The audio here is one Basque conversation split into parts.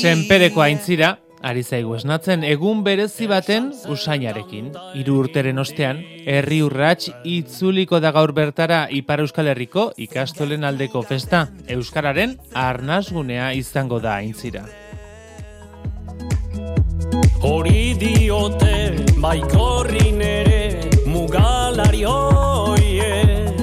Senpereko aintzira, ari zaigu esnatzen, egun berezi baten usainarekin. 3 urteren ostean, herri urrats itzuliko da gaur bertara Ipar Euskal Herriko ikastolen aldeko festa. Euskararen arnasgunea izango da aintzira. Hori diote baikorrin ere mugalari hoiek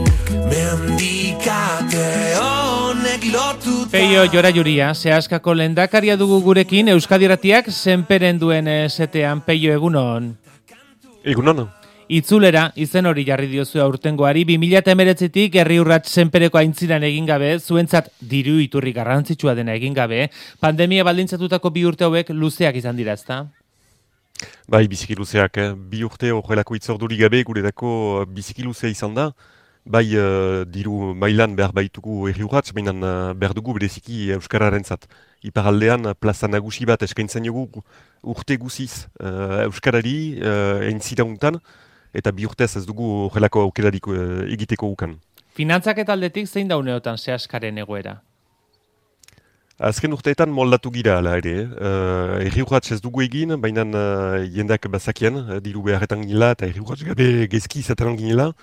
mendikate honek lotuta. Peio Jorajuria, Seaskako lehendakaria dugu gurekin, Euskadi Irratiak senperen duen setean. Peio, egunon. Egunon. Itzulera, izen hori jarri diozu aurtengoari, 2019tik herri urrats senpereko aintziran egin gabe, zuentzat diru iturri garrantzitsua dena egin gabe, pandemia baldintzatutako 2 urte hauek luzeak izan dira, ezta? Bai, biziki luzeak. 2 urte horrelako itzorduri gabe guredako biziki luzea izan da. Bai, diru mailan behar baitugu herri urrats, baina behar dugu bereziki euskararentzat. Iparaldean plaza nagusi bat eskaintzen dugu urte guziz euskarari aintzira untan, eta 2 urtez ez dugu horrelako aukerarik egiteko ukan. Finantzak aldetik zein da uneotan Seaskaren egoera? Azken urteetan moldatu gira ala ere. Herri urrats ez dugu egin, baina jendak bazakien, diru beharretan ginela eta herri urrats gabe gezki izateran ginela.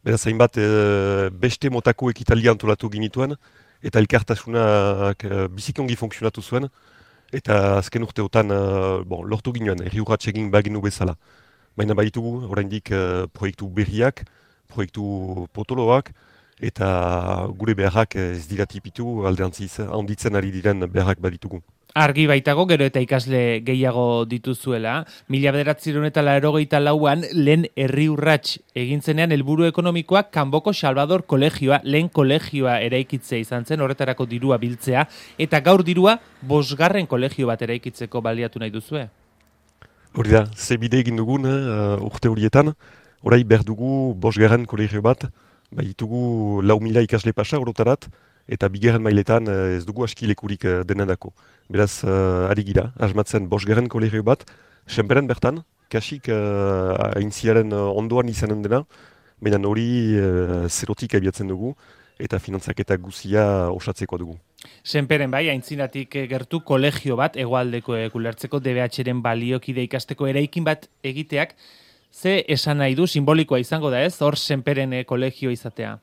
Beraz, hainbat beste motako ekitalia antolatu ginituen, eta elkartasunak bizikongi funksionatu zuen, eta azken urteotan lortu ginoen, herri urrats egin baginu bezala. Baina baitugu, oraindik proiektu berriak, proiektu potoloak, eta gure beharrak ez dira tipitu, alderantziz handitzen ari diren beharrak baditugu. Argi baitago, gero eta ikasle gehiago dituzuela. 1984an lehen herri urrats egintzenean helburu ekonomikoak Kanboko Salvador kolegioa, lehen kolegioa eraikitzea izan zen, horretarako dirua biltzea, eta gaur dirua 5. kolegio bat eraikitzeko baliatu nahi duzue. Hori da, ze bide egin dugun urte horietan, orai behar dugu 5. kolegio bat, ditugu 4.000 ikasle pasa orotarat, eta 2. mailetan ez dugu askilekurik denendako. Beraz, ari gira, asmatzen 5. kolegio bat, senperen bertan, kasik aintziaren ondoan izanen dena, baina hori zerotik abiatzen dugu, eta finantzaketa guzia osatzeko dugu. Senperen bai, aintzinatik gertu kolegio bat, hegoaldeko ulertzeko DBH-ren baliokide ikasteko eraikin bat egiteak, ze esan nahi du, simbolikoa izango da ez, hor senperen kolegio izatea?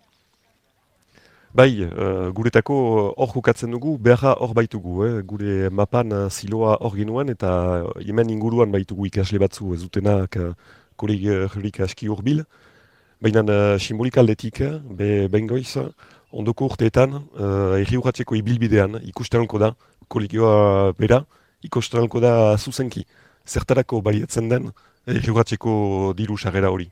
Bai, guretako hor jokatzen dugu, beharra hor baitugu. Gure mapan ziloa hor genuen, eta hemen inguruan baitugu ikasle batzu ez dutenak kolegiorik aski hurbil. Baina simbolika aldetik, bengoiz, ondoko urteetan, herri urratseko ibilbidean ikustenalko da, kolegioa bera, ikustenalko da zuzenki. Zertarako baliatzen den herri urratseko diru sarrera hori.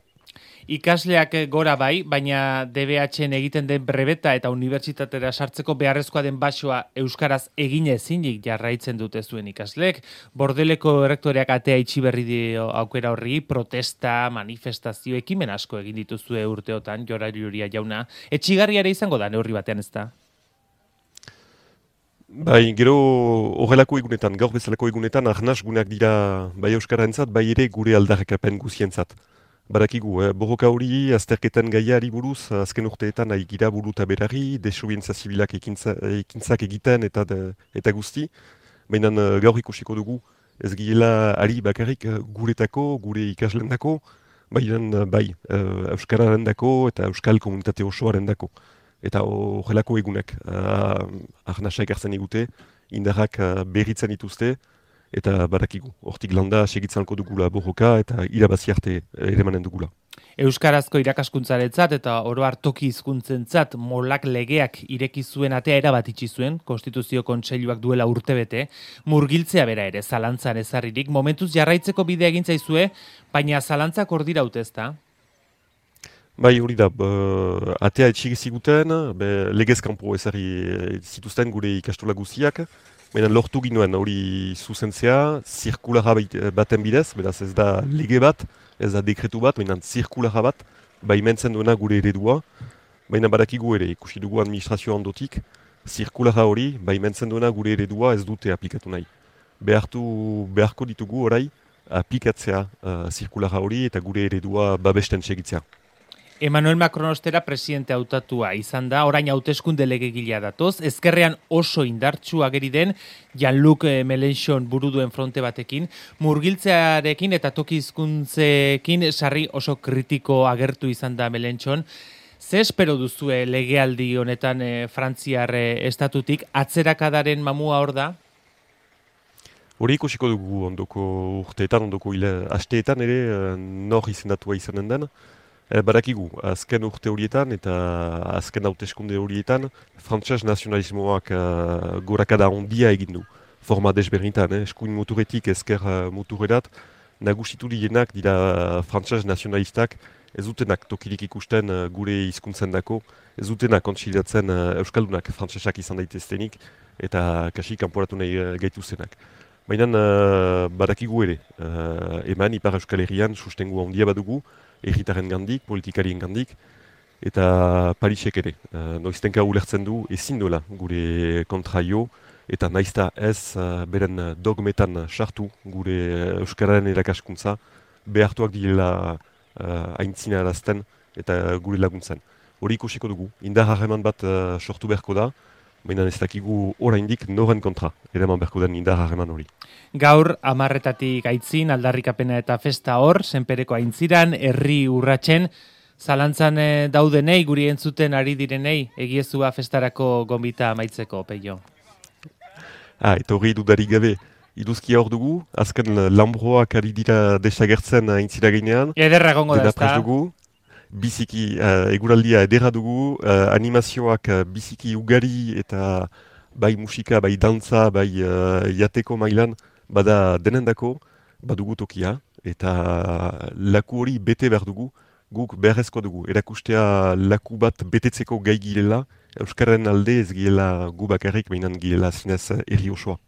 Ikasleak gora bai, baina DBH-en egiten den brebeta eta unibertsitatera sartzeko beharrezkoa den basoa euskaraz egin ezinik jarraitzen dute zuen ikasleek. Bordeleko errektoreak atea itxi berri dio aukera horri, protesta, manifestazio, ekimen asko egin dituzue urteotan, Jorajuria jauna. Etxigarria ere izango da neurri batean, ez da? Bai, gero horrelako egunetan, gaur bezalako egunetan, arnasguneak dira bai euskararentzat, bai ere gure aldarrikapen guzientzat. Badakigu, borroka hori, azterketan gaiari buruz, azken urteetan nahi gira buru eta berari, desobedientzia zibilak ekintzak egiten eta guzti. Baina gaur ikusiko dugu, ez girela ari bakarrik guretako, gure ikaslendako, baina bai, euskararen dako eta euskal komunitate osoaren dako. Eta horrelako egunek, arnasa ekartzen egute, indarrak berritzen dituzte, eta badakigu, hortik landa segitzanko dugula borroka eta irabazi arte eremanen dugula. Euskarazko irakaskuntzarentzat eta oro har toki hizkuntzentzat molak legeak ireki zuen atea erabat itxi zuen, Konstituzio Kontseiluak duela urtebete, murgiltzea bera ere zalantzan ezarririk, momentuz jarraitzeko bidea egin zaizue, baina zalantzak hor dira ezta? Bai, hori da, atea etxik ziguten, legez kanpo ezarri zituzten gure ikastola guziak, baina lortu ginoen hori zuzentzea, zirkulara baten bidez, beraz ez da lege bat, ez da dekretu bat, baina zirkulara bat, baimentzen duena gure eredua, baina badakigu ere, ikusi dugu administrazio ondotik, zirkulara hori, baimentzen duena gure eredua ez dute aplikatu nahi. Beharko ditugu orai, aplikatzea zirkulara hori eta gure eredua babesten segitzea. Emmanuel Macron ostera presidente hautatua izan da, orain hauteskunde legegilea datoz, ezkerrean oso indartsu ageri den Jean-Luc Mélenchon buru duen fronte batekin, murgiltzearekin eta toki hizkuntzekin sarri oso kritiko agertu izan da Mélenchon. Ze espero duzue legealdi honetan Frantziar estatutik, atzerakadaren mamua hor da? Hori ikusiko dugu ondoko urteetan, ondoko asteetan ere nor izendatua izanen den. Badakigu, azken urte horietan eta azken hauteskunde horietan, frantses nazionalismoak gorakada ondia egin du. Forma desberdinetan, eskuin muturetik ezker muturerat, nagusitu dienak dira frantses nazionalistak, ez dutenak tokirik ikusten gure hizkuntzen dako, ez dutenak kontsiliatzen euskaldunak frantsesak izan daiteztenik eta kasi kanporatu nahi gaituzenak. Baina badakigu ere, eman Ipar Euskal Herrian sustengu handia badugu, erritaren gandik, politikarien gandik, eta Parisek ere. Noiztenka ulertzen du ezin dola gure kontraio, eta naizta ez beren dogmetan sartu gure Euskararen erakaskuntza, behartuak direla aintzina arazten eta gure laguntzen. Hori ikusiko dugu, indar harreman bat sortu beharko da, baina ez dakigu oraindik noren kontra, eraman beharko den indar harreman hori. Gaur, 10:00 aitzin, aldarrikapena eta festa hor, senpereko aintziran, herri urratzen, zalantzan daudenei, guri entzuten ari direnei, egiezua festarako gonbita amaitzeko, Peio. Eta hori dudarik gabe, iduzkia hor dugu, azken lambroak ari dira desagertzen aintzira gainean. Ederra gongo da, ezta? Dugu. Biziki eguraldia edera dugu, animazioak biziki ugari eta bai musika, bai dantza, bai jateko mailan, bada denendako, badugu tokia, eta laku hori bete behar dugu, guk beharrezko dugu. Erakustea laku bat betetzeko gai girela, Euskarren alde ez girela gu bakarrik, behinan girela zinez herri osoa.